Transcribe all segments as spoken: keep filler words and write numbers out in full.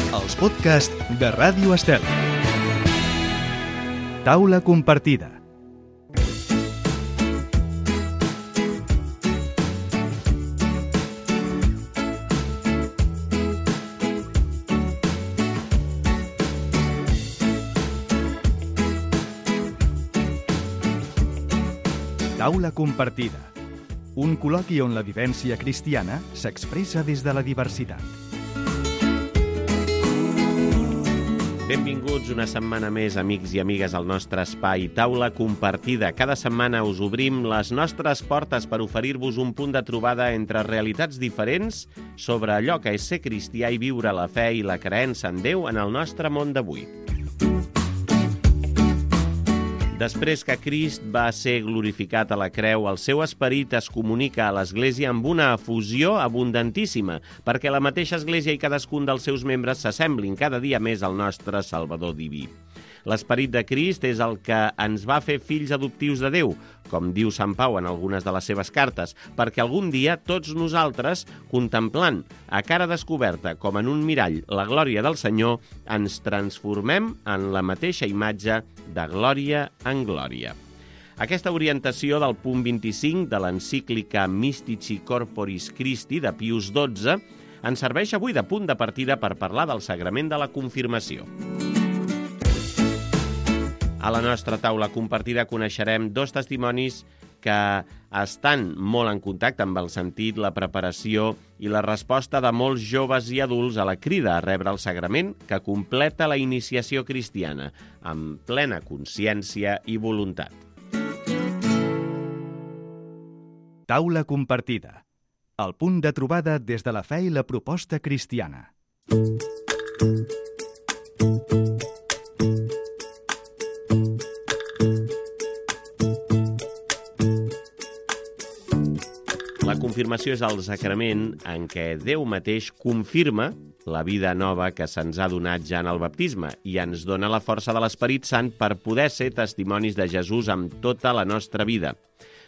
Els podcasts de Ràdio Estel. Taula compartida. Taula compartida. Un col·loqui on la vivència cristiana s'expressa des de la diversitat. Benvinguts una setmana més, amics i amigues, al nostre espai Taula Compartida. Cada setmana us obrim les nostres portes per oferir-vos un punt de trobada entre realitats diferents sobre allò que és ser cristià i viure la fe i la creença en Déu en el nostre món d'avui. Després que Crist va ser glorificat a la creu, el seu esperit es comunica a l'Església amb una efusió abundantíssima, perquè la mateixa Església i cadascun dels seus membres s'assemblin cada dia més al nostre Salvador diví. L'esperit de Crist és el que ens va fer fills adoptius de Déu, com diu Sant Pau en algunes de les seves cartes, perquè algun dia tots nosaltres, contemplant a cara descoberta com en un mirall la glòria del Senyor, ens transformem en la mateixa imatge de glòria en glòria. Aquesta orientació del punt vint-i-cinc de l'encíclica Mystici Corporis Christi de Pius dotze ens serveix avui de punt de partida per parlar del sagrament de la confirmació. A la nostra taula compartida coneixerem dos testimonis que estan molt en contacte amb el sentit, la preparació i la resposta de molts joves i adults a la crida a rebre el sagrament que completa la iniciació cristiana, amb plena consciència i voluntat. Taula compartida. El punt de trobada des de la fe i la proposta cristiana. La confirmació és el sacrament en què Déu mateix confirma la vida nova que se'ns ha donat ja en el baptisme i ens dona la força de l'Esperit Sant per poder ser testimonis de Jesús amb tota la nostra vida.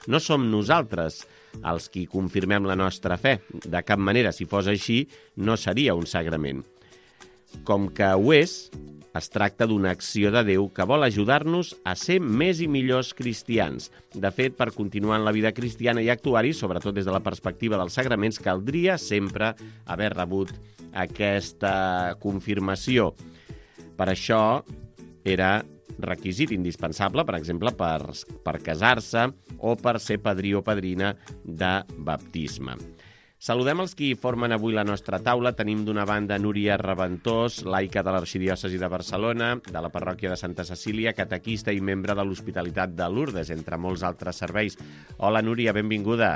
No som nosaltres els qui confirmem la nostra fe. De cap manera, si fos així, no seria un sagrament. Com que ho és, es tracta d'una acció de Déu que vol ajudar-nos a ser més i millors cristians. De fet, per continuar en la vida cristiana i actuar-hi, sobretot des de la perspectiva dels sagraments, caldria sempre haver rebut aquesta confirmació. Per això era requisit indispensable, per exemple, per, per casar-se o per ser padrí o padrina de baptisme. Saludem els qui formen avui la nostra taula. Tenim d'una banda Núria Raventós, laica de l'Arxidiòcesi de Barcelona, de la parròquia de Santa Cecília, catequista i membre de l'Hospitalitat de Lourdes, entre molts altres serveis. Hola, Núria, benvinguda.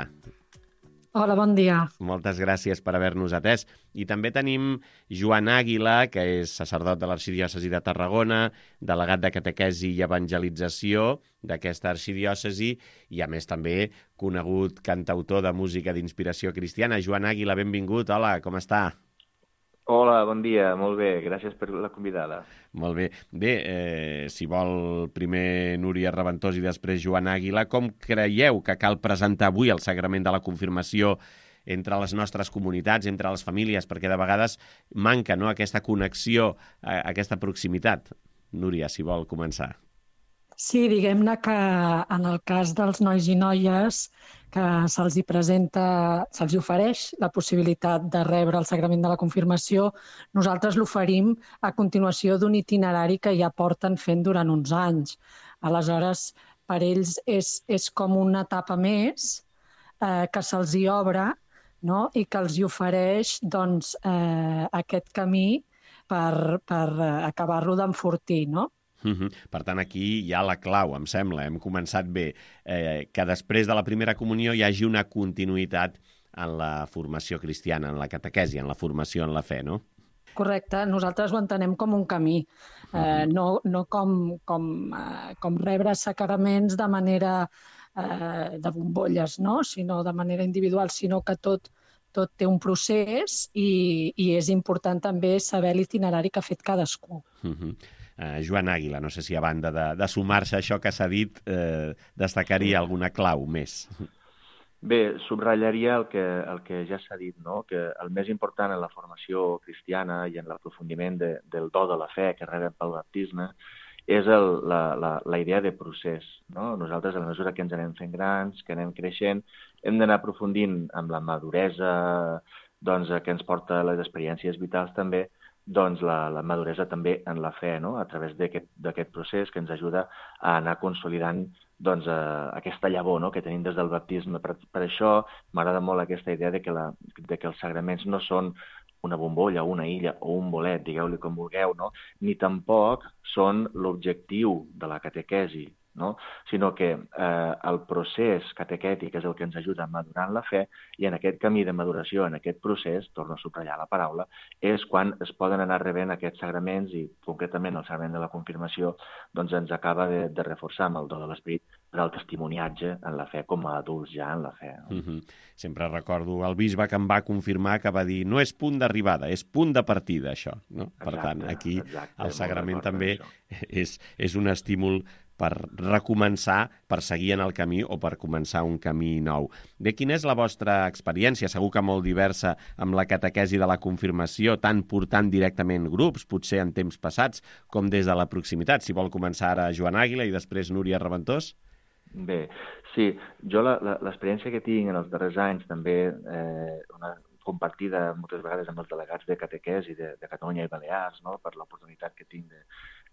Hola, bon dia. Moltes gràcies per haver-nos atès. I també tenim Joan Àguila, que és sacerdot de l'Arxidiòcesi de Tarragona, delegat de catequesi i evangelització d'aquesta arxidiòcesi i, a més, també conegut cantautor de música d'inspiració cristiana. Joan Àguila, benvingut. Hola, com està? Hola, bon dia. Molt bé. Gràcies per la convidada. Molt bé. Bé, eh, si vol primer Núria Raventós i després Joan Àguila, com creieu que cal presentar avui el sagrament de la confirmació entre les nostres comunitats, entre les famílies, perquè de vegades manca, no?, aquesta connexió, eh, aquesta proximitat? Núria, si vol començar. Sí, diguem-ne que en el cas dels nois i noies que se'ls hi presenta, se'ls hi ofereix la possibilitat de rebre el sagrament de la confirmació, nosaltres l'oferim a continuació d'un itinerari que ja porten fent durant uns anys. Aleshores, per ells és, és com una etapa més eh, que se'ls hi obre, no?, i que els hi ofereix doncs, eh, aquest camí per, per acabar-lo d'enfortir, no? Uh-huh. Per tant, aquí hi ha la clau, em sembla. Hem començat bé. Eh, que després de la primera comunió hi hagi una continuïtat en la formació cristiana, en la catequesi, en la formació en la fe, no? Correcte. Nosaltres ho entenem com un camí, eh, uh-huh. no, no com, com, eh, com rebre sacraments de manera eh, de bombolles, no?, sinó de manera individual, sinó que tot, tot té un procés i, i és important també saber l'itinerari que ha fet cadascú. Uh-huh. Uh, Joan Àguila, no sé si a banda de, de sumar-se a això que s'ha dit, eh, destacaria alguna clau més. Bé, subratllaria el que, el que ja s'ha dit, no? Que el més important en la formació cristiana i en l'aprofundiment de, del do de la fe que rebem pel baptisme és el, la, la, la idea de procés. No? Nosaltres, a la mesura que ens anem fent grans, que anem creixent, hem d'anar aprofundint amb la maduresa doncs, que ens porta les experiències vitals també, doncs la, la maduresa també en la fe, no? A través d'aquest procés que ens ajuda a anar consolidant doncs, eh, aquesta llavor, no? Que tenim des del baptisme. Per, per això m'agrada molt aquesta idea de que, la, de que els sagraments no són una bombolla, una illa o un bolet, digueu-li com vulgueu, no? Ni tampoc són l'objectiu de la catequesi, no? Sinó que eh, el procés catequètic és el que ens ajuda a madurar en la fe i en aquest camí de maduració, en aquest procés, torno a subratllar la paraula, és quan es poden anar rebent aquests sagraments i concretament el sagrament de la confirmació doncs ens acaba de, de reforçar amb el do de l'Esperit per al testimoniatge en la fe, com a adults ja en la fe. No? Mm-hmm. Sempre recordo el bisbe que em va confirmar que va dir no és punt d'arribada, és punt de partida, això. No? Per exacte, tant, aquí exacte, el sagrament també això. és, és un estímul per recomençar, per seguir en el camí o per començar un camí nou. Bé, quina és la vostra experiència? Segur que molt diversa amb la catequesi de la confirmació, tant portant directament grups, potser en temps passats, com des de la proximitat. Si vol començar ara Joan Àguila i després Núria Reventós. Bé, sí, jo l'experiència que tinc en els darrers anys també, eh, una compartida moltes vegades amb els delegats de catequesi de, de Catalunya i Balears, no? Per l'oportunitat que tinc de,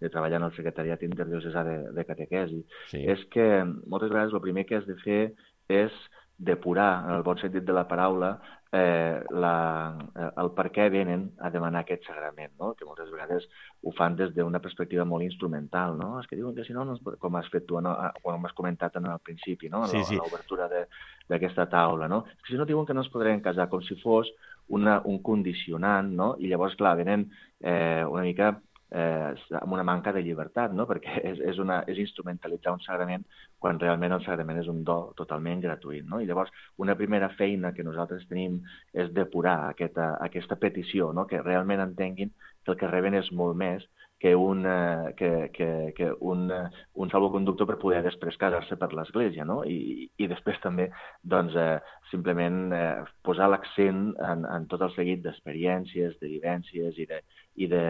de treballar en el secretariat interdiocesà de, de catequesi, sí. És que moltes vegades el primer que has de fer és depurar, en el bon sentit de la paraula, eh, la, el per què venen a demanar aquest sagrament, no? Que moltes vegades ho fan des d'una perspectiva molt instrumental, no? És que diuen que si no, no com has fet tu, no? Com has comentat en el principi, no? En sí, sí. L'obertura d'aquesta taula, no? És que si no diuen que no es podrien casar, com si fos una, un condicionant, no? I llavors, clar, venen eh, una mica eh, amb una manca de llibertat, no? Perquè és, és, una, és instrumentalitzar un sagrament quan realment el sagrament és un do totalment gratuït, no? I llavors una primera feina que nosaltres tenim és depurar aquesta, aquesta petició, no? Que realment entenguin que el que reben és molt més que un, eh, que, que, que un, un salvoconductor per poder després casar-se per l'Església, no? I, i després també doncs, eh, simplement eh, posar l'accent en, en tot el seguit d'experiències, de vivències i de, i de,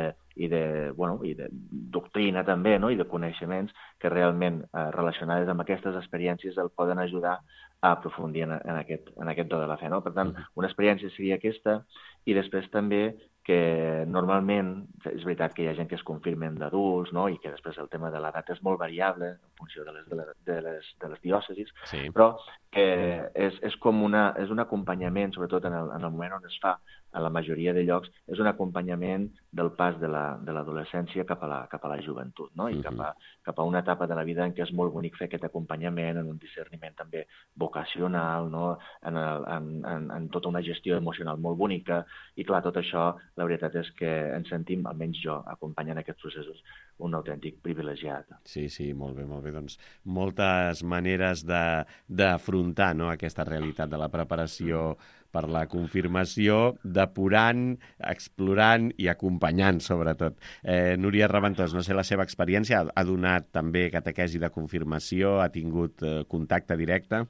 i de, bueno, i de doctrina també, no? I de coneixements que realment eh, relacionades amb aquestes experiències el poden ajudar a aprofundir en, en, aquest, en aquest do de la fe, no? Per tant, una experiència seria aquesta i després també que normalment, és veritat que hi ha gent que es confirmen d'adults, no? I que després el tema de l'edat és molt variable en funció de les, de les, de les, de les diòcesis, sí. Però que és, és com una, és un acompanyament, sobretot en el, en el moment on es fa, a la majoria de llocs, és un acompanyament del pas de l'adolescència la, cap, a la, cap a la joventut, no? I uh-huh. cap, a, cap a una etapa de la vida en què és molt bonic fer aquest acompanyament, en un discerniment també vocacional, no? en, el, en, en, en tota una gestió emocional molt bonica, i clar, tot això, la veritat és que ens sentim, almenys jo, acompanyant aquests processos, un autèntic privilegiat. Sí, sí, molt bé, molt bé. Doncs moltes maneres d'afrontar, no?, aquesta realitat de la preparació mm. per la confirmació, depurant, explorant i acompanyant, sobretot. Eh, Núria Reventós, no sé la seva experiència, ha donat també catequesi de confirmació, ha tingut eh, contacte directe?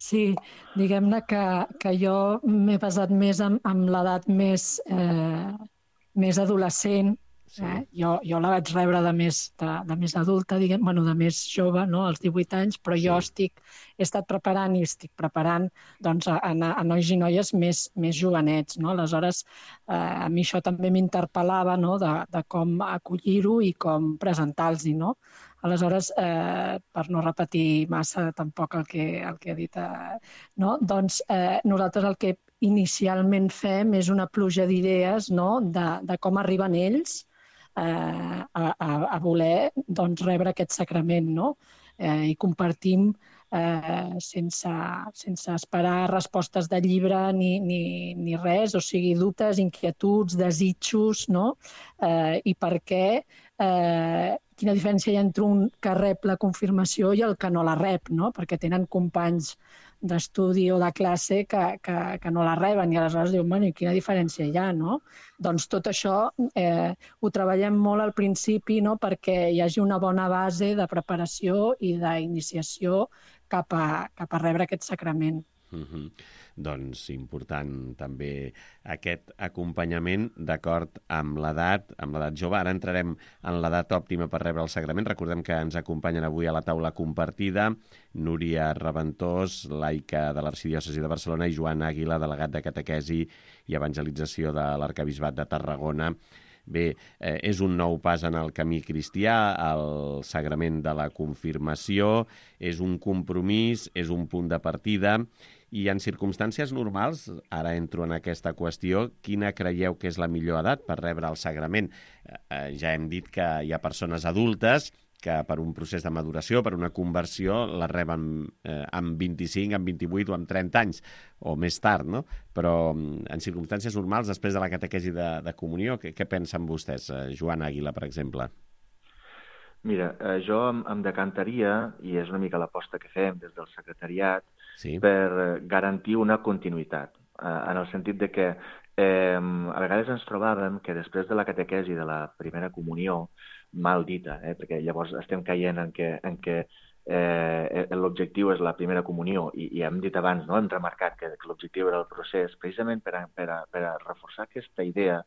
Sí, diguem-ne que, que jo m'he basat més en, en l'edat més, eh, més adolescent. Sí. Eh? Jo, jo la vaig rebre de més, de, de més adulta, diguem, bueno, de més jove, no? Als divuit anys, però sí. Jo estic, he estat preparant i estic preparant doncs, a, a, a nois i noies més, més jovenets. No? Aleshores, eh, a mi això també m'interpel·lava, no? de, de com acollir-ho i com presentar-los-hi. No? Aleshores, eh, per no repetir massa tampoc el que, el que he dit, eh, no? Doncs eh, nosaltres el que inicialment fem és una pluja d'idees, no? de, de com arriben ells eh, a, a voler doncs, rebre aquest sacrament, no? eh, i compartim eh, sense, sense esperar respostes de llibre ni, ni, ni res, o sigui, dubtes, inquietuds, desitjos, no? eh, i per què eh, quina diferència hi ha entre un que rep la confirmació i el que no la rep, no? Perquè tenen companys d'estudi o de classe que, que, que no la reben i aleshores diuen, bueno, i quina diferència hi ha, no? Doncs tot això eh, ho treballem molt al principi, no? Perquè hi hagi una bona base de preparació i d'iniciació cap a, cap a rebre aquest sacrament. Uh-huh. Doncs important també aquest acompanyament d'acord amb l'edat, amb l'edat jove. Ara entrarem en l'edat òptima per rebre el sagrament. Recordem que ens acompanyen avui a la taula compartida Núria Reventós, laica de l'Arxidiòcesi de Barcelona, i Joan Àguila, delegat de catequesi i evangelització de l'Arquebisbat de Tarragona. Bé, eh, és un nou pas en el camí cristià, el sagrament de la confirmació, és un compromís, és un punt de partida, i en circumstàncies normals, ara entro en aquesta qüestió, quina creieu que és la millor edat per rebre el sagrament? Eh, ja hem dit que hi ha persones adultes que per un procés de maduració, per una conversió, la reben eh, amb vint-i-cinc, amb vint-i-vuit o amb trenta anys, o més tard, no? Però en circumstàncies normals, després de la catequesi de, de comunió, què, què pensen vostès? Eh, Joan Àguila, per exemple. Mira, eh, jo em, em decantaria, i és una mica l'aposta que fem des del secretariat, sí, per garantir una continuïtat, eh, en el sentit de que eh, a vegades ens trobàvem que després de la catequesi de la primera comunió, mal dita, eh, perquè llavors estem caient en què, en què eh, l'objectiu és la primera comunió, i, i hem dit abans, no? Hem remarcat que, que l'objectiu era el procés, precisament per a, per, a, per a reforçar aquesta idea.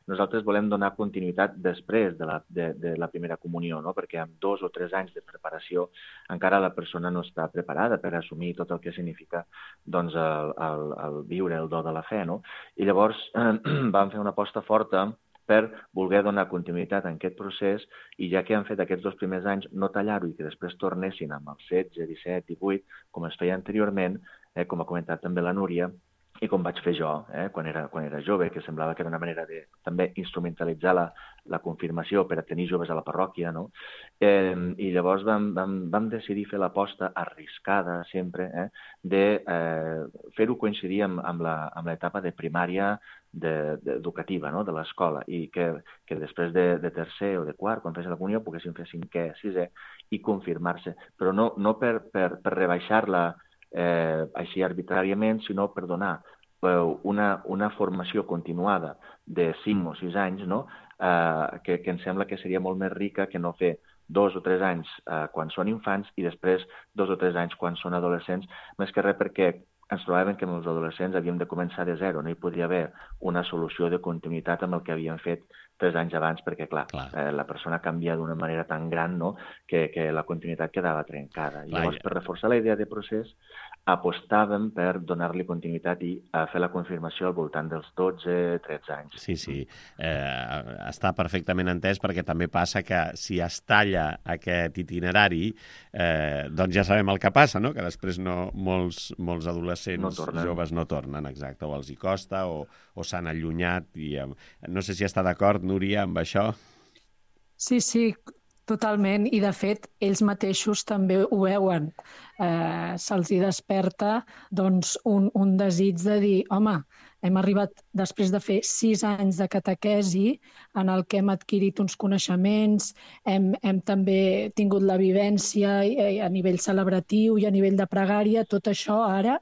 Nosaltres volem donar continuïtat després de la, de, de la primera comunió, no? Perquè amb dos o tres anys de preparació encara la persona no està preparada per assumir tot el que significa doncs, el, el, el viure el do de la fe, no? I llavors eh, vam fer una aposta forta per voler donar continuïtat a aquest procés, i ja que han fet aquests dos primers anys, no tallar-ho i que després tornessin amb els setze, disset, divuit, com es feia anteriorment, eh, com ha comentat també la Núria, i com vaig fer jo, eh, quan, era, quan era jove, que semblava que era una manera de també instrumentalitzar la, la confirmació per a tenir joves a la parròquia, no? Eh, I llavors vam, vam, vam decidir fer l'aposta arriscada sempre, eh, de eh, fer-ho coincidir amb, amb l'etapa de primària de, de, educativa, no? De l'escola, i que, que després de, de tercer o de quart, quan fes la comunió, poguessin fer cinquè, sisè i confirmar-se, però no, no per, per, per rebaixar-la Eh, així arbitràriament, sinó per donar eh, una, una formació continuada de cinc o sis anys, no? eh, que, que em sembla que seria molt més rica que no fer dos o tres anys eh, quan són infants i després dos o tres anys quan són adolescents, més que res perquè ens trobàvem que amb els adolescents havíem de començar de zero, no hi podia haver una solució de continuïtat amb el que havíem fet tres anys abans, perquè, clar, clar. Eh, la persona canvia d'una manera tan gran, no?, que, que la continuïtat quedava trencada. I llavors, per reforçar la idea de procés, apostàvem per donar-li continuïtat i a fer la confirmació al voltant dels dotze tretze anys. Sí, sí. Eh, està perfectament entès, perquè també passa que si es talla aquest itinerari, eh, doncs ja sabem el que passa, no?, que després no, molts, molts adolescents no joves no tornen, exacte, o els hi costa, o, o s'han allunyat. I, eh, no sé si està d'acord, Núria, amb això. Sí, sí, totalment. I, de fet, ells mateixos també ho veuen. Eh, se'ls hi desperta doncs, un, un desig de dir, home, hem arribat després de fer sis anys de catequesi en el que hem adquirit uns coneixements, hem, hem també tingut la vivència a nivell celebratiu i a nivell de pregària. Tot això ara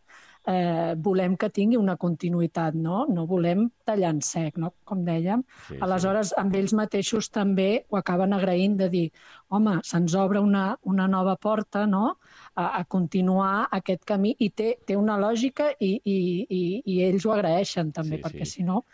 eh, volem que tingui una continuïtat, no? No volem tallar en sec, no? Com dèiem. Sí, aleshores, sí. Amb ells mateixos també ho acaben agraint de dir, home, se'ns obre una, una nova porta, no?, a, a continuar aquest camí, i té, té una lògica, i, i, i, i ells ho agraeixen també, sí, perquè sí. Si no...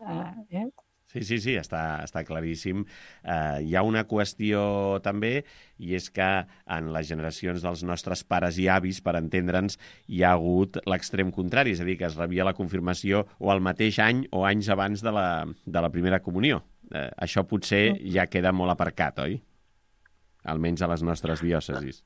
Eh, eh? Sí, sí, sí, està, està claríssim. Eh, hi ha una qüestió també, i és que en les generacions dels nostres pares i avis, per entendre'ns, hi ha hagut l'extrem contrari, és a dir, que es rebia la confirmació o al mateix any o anys abans de la, de la primera comunió. Eh, això potser ja queda molt aparcat, oi? Almenys a les nostres diòcesis.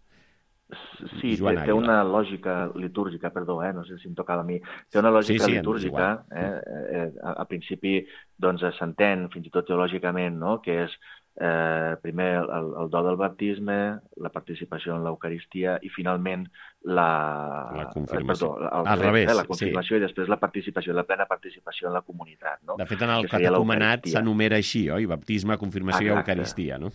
Sí, té, té una lògica litúrgica, perdó, eh, no sé si em tocava a mi, té una lògica sí, sí, litúrgica, eh, eh, a, a principi doncs s'entén fins i tot teològicament, no?, que és eh, primer el, el do del baptisme, la participació en l'Eucaristia i finalment la, la confirmació. Eh, perdó, el, al revés, eh, la confirmació, sí. I després la participació, la plena participació en la comunitat, no? De fet, en el catecumenat s'enumera així, oi? Baptisme, confirmació i Eucaristia, no?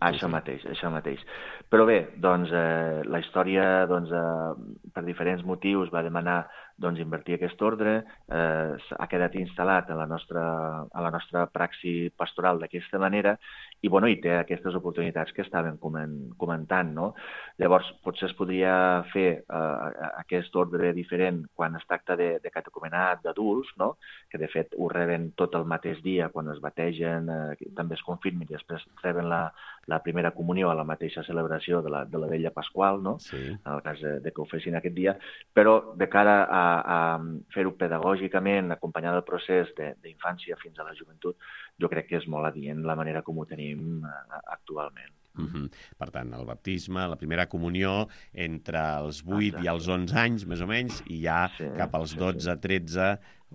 Això mateix, això mateix. Però bé, doncs, eh, la història, doncs, eh, per diferents motius va demanar doncs, invertir aquest ordre, eh, ha quedat instal·lat a la nostra, a la nostra praxi pastoral d'aquesta manera i, bueno, i té aquestes oportunitats que estàvem comentant, no? Llavors, potser es podria fer eh, aquest ordre diferent quan es tracta de, de catecumenat d'adults, no? Que de fet ho reben tot el mateix dia quan es bategen, eh, també es confirmin i després reben la, la primera comunió a la mateixa celebració de la, de la vella Pasqual, no? Sí. En el cas de, de que ho fessin aquest dia, però de cara a, a fer-ho pedagògicament, acompanyar el procés d'infància fins a la joventut, jo crec que és molt adient la manera com ho tenim uh, actualment. Uh-huh. Per tant, el baptisme, la primera comunió entre els vuit Exacte. I els onze anys, més o menys, i ja sí, cap als sí, dotze, sí. tretze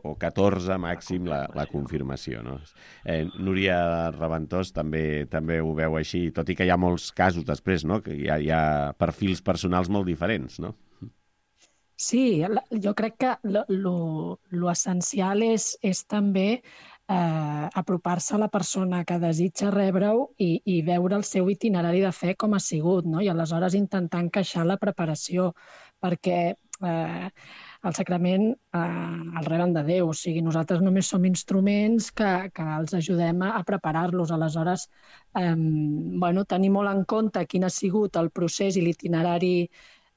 o catorze màxim la, la confirmació. No? Eh, Núria Raventós també també ho veu així, tot i que hi ha molts casos després, no? Que hi ha, hi ha perfils personals molt diferents, no? Sí, jo crec que l'essencial és, és també eh, apropar-se a la persona que desitja rebre-ho i, i veure el seu itinerari de fe com ha sigut, no? I aleshores intentar encaixar la preparació, perquè eh, el sacrament eh, el reben de Déu, o sigui, nosaltres només som instruments que, que els ajudem a, a preparar-los. Aleshores, eh, bueno, tenir molt en compte quin ha sigut el procés i l'itinerari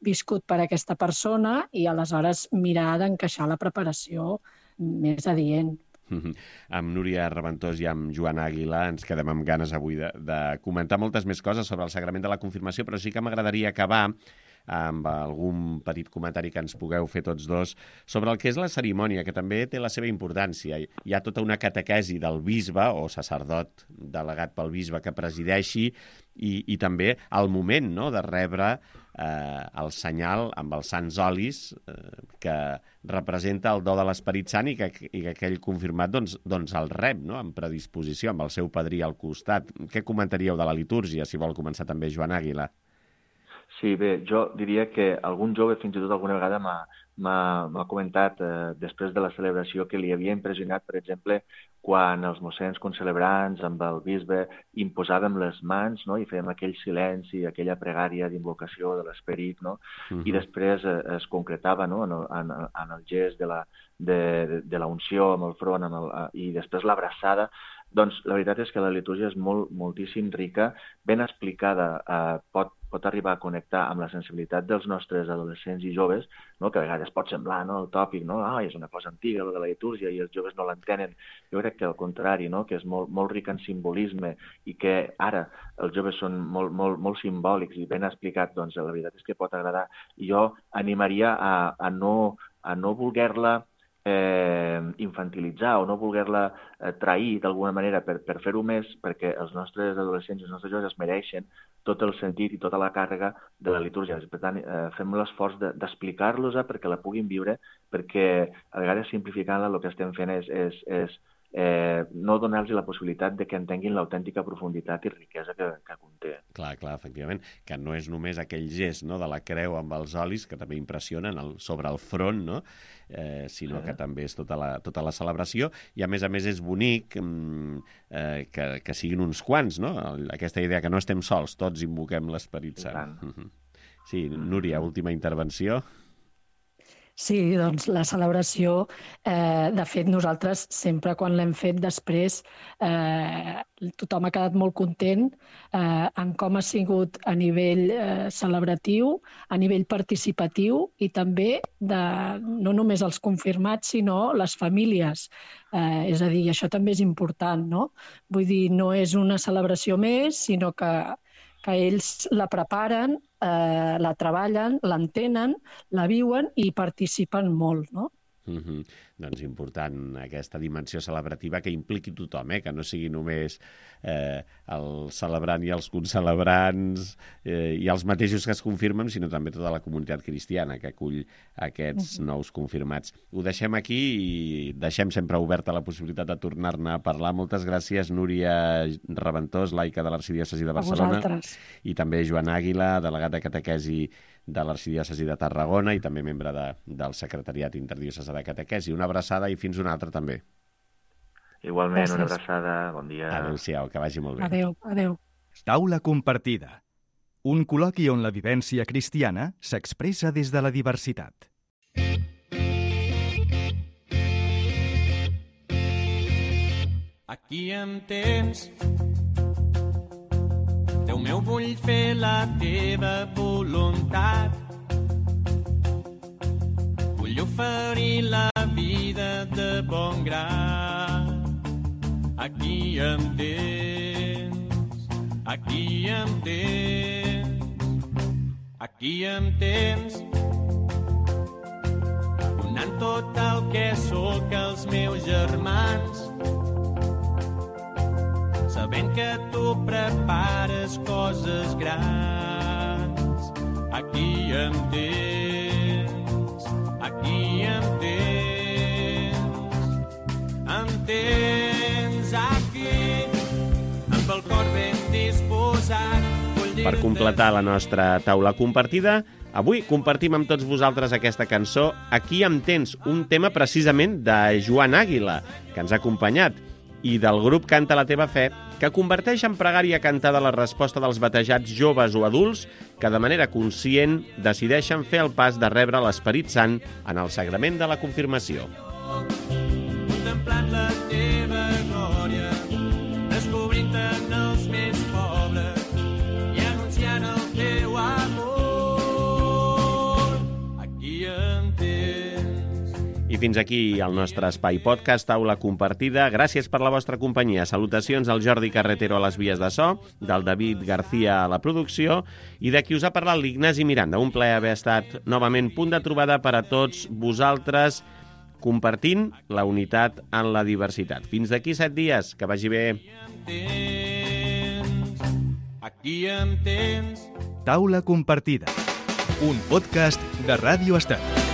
viscut per aquesta persona i aleshores mirar d'encaixar la preparació més adient. Mm-hmm. Amb Núria Raventós i amb Joan Àguila ens quedem amb ganes avui de, de comentar moltes més coses sobre el sagrament de la confirmació, però sí que m'agradaria acabar amb algun petit comentari que ens pugueu fer tots dos sobre el que és la cerimònia, que també té la seva importància. Hi ha tota una catequesi del bisbe o sacerdot delegat pel bisbe que presideixi i, i també el moment, no?, de rebre eh, el senyal amb els sants olis eh, que representa el do de l'Esperit Sant i que, i que aquell confirmat doncs, doncs el rep, no?, amb predisposició, amb el seu padrí al costat. Què comentaríeu de la litúrgia, si vol començar també Joan Àguila? Sí, bé, jo diria que algun jove fins i tot alguna vegada m'ha comentat eh, després de la celebració que li havia impressionat, per exemple, quan els mossens concelebrants amb el bisbe imposàvem les mans, no?, i fèiem aquell silenci, aquella pregària d'invocació de l'esperit, no? Uh-huh. I després eh, es concretava, no?, en el, en, en el gest de la, de, de, de la unció amb el front amb el, i després l'abraçada. Doncs la veritat és que la litúrgia és molt, moltíssim rica, ben explicada, eh, pot, pot arribar a connectar amb la sensibilitat dels nostres adolescents i joves, no? Que a vegades pot semblar, no?, el tòpic, no?, ah, és una cosa antiga, la de la litúrgia, i els joves no l'entenen. Jo crec que al contrari, no?, que és molt, molt ric en simbolisme i que ara els joves són molt, molt, molt simbòlics i ben explicat, doncs la veritat és que pot agradar. I jo animaria a, a no, a no voler-la Eh, infantilitzar o no voler-la eh, trair d'alguna manera per, per fer-ho més, perquè els nostres adolescents i els nostres joves es mereixen tot el sentit i tota la càrrega de la litúrgia. Per tant, eh, fem l'esforç d'explicar-los-la perquè la puguin viure, perquè a vegades simplificant-la el que estem fent és, és, és eh, no donar-los la possibilitat de que entenguin l'autèntica profunditat i riquesa que, que conté. Clar, clar, efectivament, que no és només aquell gest, no?, de la creu amb els olis, que també impressionen el, sobre el front, no?, eh, sinó sí. que també és tota la, tota la celebració, i a més a més és bonic mm, eh, que, que siguin uns quants, no?, aquesta idea que no estem sols, tots invoquem l'Esperit Sant. Mm-hmm. Sí, Núria, última intervenció. Sí, doncs la celebració, eh, de fet nosaltres sempre quan l'hem fet després eh, tothom ha quedat molt content eh, en com ha sigut a nivell eh, celebratiu, a nivell participatiu i també de, no només els confirmats sinó les famílies. Eh, és a dir, això també és important, no? Vull dir, no és una celebració més, sinó que que ells la preparen, eh, la treballen, l'entenen, la viuen i participen molt, no? Mm-hmm. Doncs important aquesta dimensió celebrativa que impliqui tothom, eh? Que no sigui només eh, el celebrant i els concelebrants eh, i els mateixos que es confirmen, sinó també tota la comunitat cristiana que acull aquests mm-hmm. nous confirmats. Ho deixem aquí i deixem sempre oberta la possibilitat de tornar-ne a parlar. Moltes gràcies, Núria Raventós, laica de l'Arxidiòcesi de Barcelona, i també Joan Àguila, delegat de catequesi de l'Arxidiòcesi de Tarragona i també membre de, del Secretariat Interdiocesà de Catequesi. Una abraçada i fins una altra també. Igualment, gràcies. Una abraçada, bon dia. Adéu-siau, que vagi molt bé. Adéu, adéu. Taula compartida. Un col·loqui on la vivència cristiana s'expressa des de la diversitat. Aquí em tens. Déu meu, vull fer la teva voluntat. Vull oferir la vida de bon grat. Aquí em tens. Aquí em tens. Aquí em tens. Donant tot el que sóc als meus germans. Sabent que tu prepares coses grans. Aquí em tens, aquí em tens, em tens aquí, amb el cor ben disposat. Per completar la nostra taula compartida, avui compartim amb tots vosaltres aquesta cançó Aquí em tens, un tema precisament de Joan Àguila, que ens ha acompanyat, i del grup Canta la teva fe, que converteix en pregària cantada la resposta dels batejats joves o adults que de manera conscient decideixen fer el pas de rebre l'Esperit Sant en el sagrament de la confirmació. Contemplant la teva glòria, descobrint en els més pobres i anunciant el teu amor. Aquí em tens. I fins aquí el nostre espai podcast Taula Compartida. Gràcies per la vostra companyia. Salutacions al Jordi Carretero a les vies de so, del David García a la producció i de qui us ha parlat l'Ignasi Miranda. Un plaer haver estat novament punt de trobada per a tots vosaltres, compartint la unitat en la diversitat. Fins d'aquí set dies. Que vagi bé. Aquí em tens. Taula Compartida, un podcast de Ràdio Estat.